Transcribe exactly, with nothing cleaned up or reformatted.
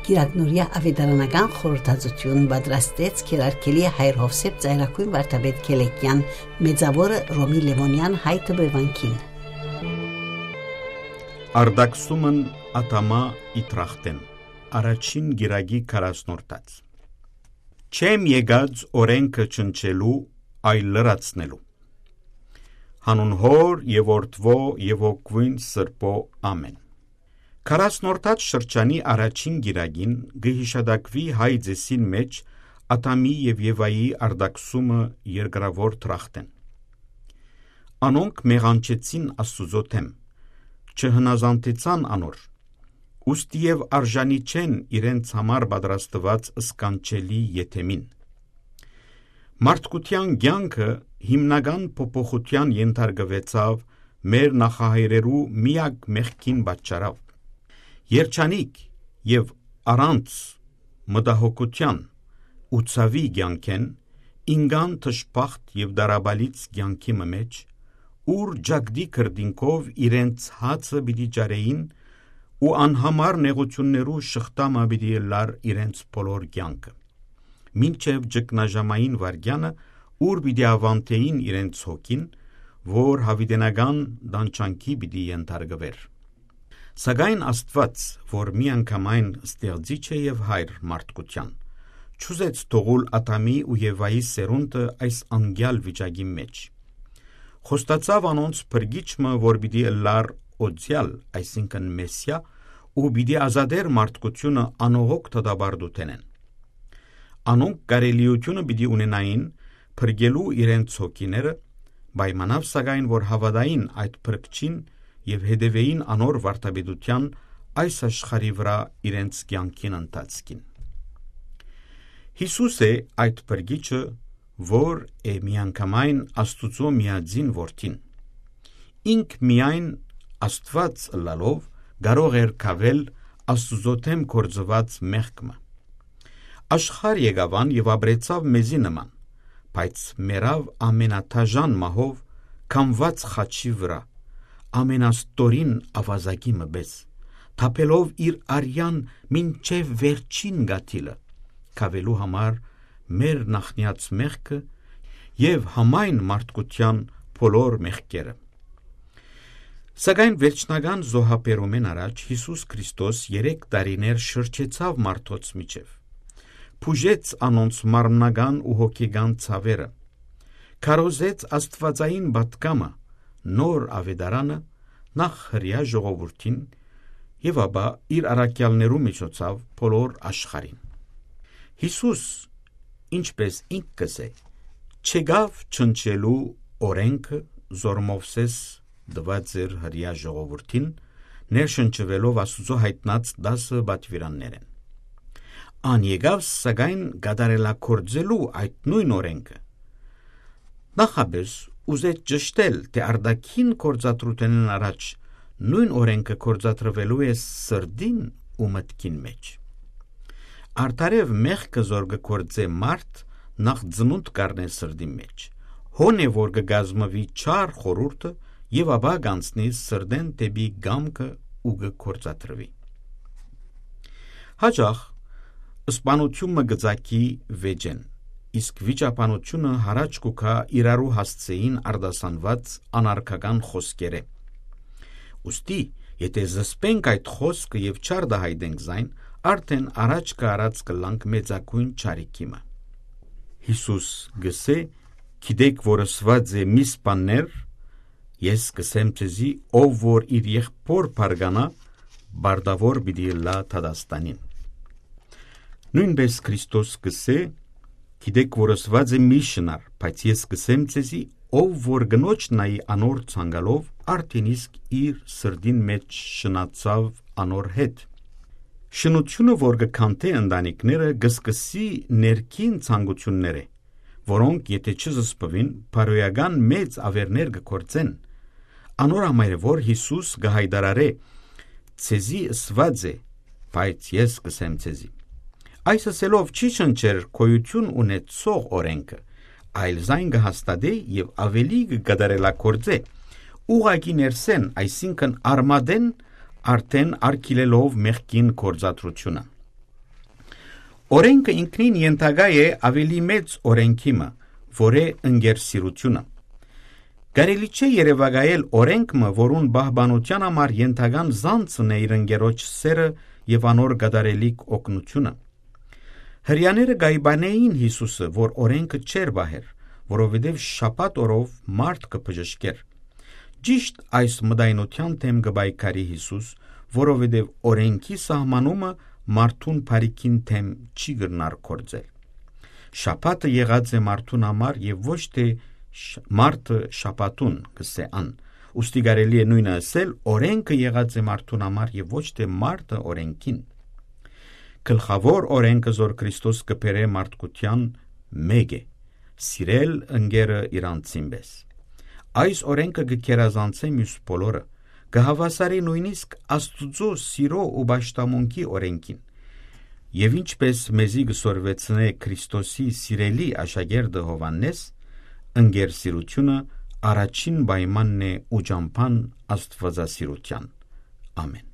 Կիրակնօրեայ աւետարանական խորհրդածութիւն պատրաստեց Գերարգելի հայր Յովսէփ Ծայրագոյն վարդապետ Քելեկեան, մեծաւորը Ռոմի Լեւոնեան հայ դպրեվանքին։ Արտաքսումն Ադամա Իտրախտեն, առաջին գիրագի քառասնորդաց։ Չեմ եկած օրենքը չնչելու, այլ լրացնելու։ Հանուն Հոր եւ Որդւոյ եւ Հոգւոյն Սրբոյ, ամէն։ Քառասնորդաց շրջանի առաջին գիրագին կը յիշատակուի հայ ծէսին մէջ Ադամի եւ Եվայի արտաքսումը երկրաւոր դրախտէն։ Անոնք մեղանչեցին Աստուծոյ դէմ, չհնազանդեցան անոր, ուստի եւ արժանի չեն իրենց համար պատրաստուած սքանչելի եդեմին։ Մարդկութեան կեանքը հիմնական փոփոխութեան ենթարկուեցաւ մեր նախահայրերու միակ մեղքին պատճառաւ։ Երջանիկ եւ առանց մտահոգութեան ու ցաւի կեանքէն ինկան դժբախտ եւ տառապալից կեանքի մը մէջ, ուր ճակտի քրտինքով իրենց հացը պիտի ճարէին ու անհամար նեղութիւններու շղթայ մը պիտի ըլլար իրենց բոլոր կեանքը, մինչեւ ճգնաժամային վայրկեանը, ուր պիտի աւանդէին իրենց հոգին, որ յաւիտենական տանջանքի պիտի ենթարկուէր։ Սակայն Աստուած, որ միանգամայն ստեղծիչ է եւ հայր մարդկութեան, չուզեց թողուլ Ադամի ու Եվայի սերունդը այս անկեալ վիճակի մէջ։ Խոստացաւ անոնց փրկիչ մը, որ պիտի ըլլար օծեալ, այսինքն՝ Մեսիա, ու պիտի ազատէր մարդկութիւնը անողոք դատապարտութենէն։ Անոնք կարելիութիւնը պիտի ունենային փրկելու իրենց հոգիները, պայմանաւ սակայն, որ հաւատային այդ փրկչին եւ հետեւէին անոր վարդապետութեան այս աշխարհի վրայ իրենց կեանքին ընթացքին։ Յիսուս է այդ փրկիչը, որ է միանգամայն Աստուծոյ միածին Որդին։ Ինք միայն Աստուած ըլլալով կարող էր կավել Աստուծոյ դէմ գործուած մեղք մը։ Աշխարհ եկաւ ան եւ ապրեցաւ մեզի նման, բայց մեռաւ ամենադաժան մահով, կամուած խաչի վրայ, ամենաստորին աւազակի մը պէս, թափելով իր արեան մինչեւ վերջին կաթիլը, կաւելու համար մեր նախնեաց մեղքը եւ համայն մարդկութեան բոլոր մեղքերը։ Սակայն վերջնական զոհաբերումէն առաջ Յիսուս Քրիստոս երեք տարիներ շրջեցաւ մարդոց միջեւ, բուժեց անոնց մարմնական ու հոգեկան ցաւերը, քարոզեց աստուածային պատգամը, նոր աւետարանը, նախ հրեայ ժողովուրդին եւ ապա իր առաքեալներու միջոցաւ բոլոր աշխարհին։ Յիսուս, ինչպէս ինք կ'ըսէ, չեկաւ չնչելու օրէնքը, զոր Մովսէս տուած էր հրեայ ժողովուրդին, ներշնչուելով Աստուծոյ յայտնած տասը պատուիրաններէն։ Ան եկաւ, սակայն, կատարելագործելու այդ նոյն օրէնքը։ Նախապէս ուզեց ճշդել, թէ արտաքին գործադրութենէն առաջ նոյն օրէնքը գործադրուելու է սրտին ու մտքին մէջ։ Արդարեւ մեղքը, զոր կը գործէ մարդ, նախ ծնունդ կ'առնէ սրտին մէջ, հոն է, որ կը կազմուի չար խորհուրդը եւ ապա կ'անցնի սրտէն դէպի կամքը ու կը գործադրուի։ Յաճախ սպանութիւն մը կը ծագի վէճէն, իսկ վիճաբանութիւնը յառաջ կու գայ իրարու հասցէին արտասանուած անարգական խօսքերէ։ Ուստի, եթէ զսպենք այդ խօսքը եւ չարտայայտենք զայն, արդէն առաջ կը առած կ'ըլլանք մեծագոյն չարիքի մը։ Յիսուս կ'ըսէ. «Գիտէք որ ըսուած է. "Մի սպաններ"։ Ես կ'ըսեմ ձեզի, ով որ իր եղբօր բարկանայ, պարտաւոր պիտի ըլլայ դատաստանին"։ Նոյնպէս Քրիստոս կ'ըսէ. «Գիտէք որ ըսուած է. "Մի շնար"։ Բայց ես կ'ըսեմ ձեզի, ով որ կնոջ նայի անոր ցանկալով, արդէն իսկ իր սրտին մէջ շնացաւ անոր հետ"։ Շնութիւնը, որ կը քանդէ ընտանիքները, կը սկսի ներքին ցանկութիւններէ, որոնք, եթէ չզսպուին, բարոյական մեծ աւերներ կը գործեն։ Անոր համար է, որ Յիսուս կը յայտարարէ. "Ձեզի ըսուած է, բայց ես կ'ըսեմ ձեզի"։ Այս ըսելով չի շնչեր գոյութիւն ունեցող օրէնքը, այլ զայն կը հաստատէ եւ աւելի կը կատարելագործէ, ուղղակի ներսէն, այսինքն՝ արմատէն, արդէն արգիլելով մեղքին գործադրութիւնը։ Օրէնքը ինքնին ենթակայ է աւելի մեծ օրէնքի մը, որ է ընկերսիրութիւնը։ Կարելի չէ երեւակայել օրէնք մը, որուն պահպանութեան համար ենթական զանցն է իր ընկերոջ սէրը եւ անոր կատարելիք օգնութիւնը։ Հրեաները կ'այպանէին Յիսուսը, որ օրէնքը չէր պահեր, որովհետեւ շաբաթ օրով մարդ կը բժշկէր։ Ճիշդ այս մտայնութեան դէմ կը պայքարի Յիսուս, որովհետեւ օրէնքի սահմանումը մարդուն բարիքին դէմ չի կրնար գործել։ Շաբաթը եղած է մարդուն համար եւ ոչ թէ շ-, մարդը շաբաթուն, կ'ըսէ ան։ Ուստի կարելի է նոյնը ըսել, օրէնքը եղած է մարդուն համար եւ ոչ թէ մարդը օրէնքին։ Գլխաւոր օրէնքը, զոր Քրիստոս կը բերէ մարդկութեան, մէկ է. սիրել ընկերը իրանցին պէս։ Այս օրէնքը կը գերազանցէ միւս բոլորը, կը հաւասարի նոյնիսկ Աստուծոյ սիրո ու պաշտամունքի օրէնքին։ Եւ ինչպէս մեզի կը սորվեցնէ Քրիստոսի սիրելի աշակերտը Յովհաննէս, ընկերսիրութիւնը առաջին պայմանն է ու ճամբան աստուածասիրութեան։ Ամէն։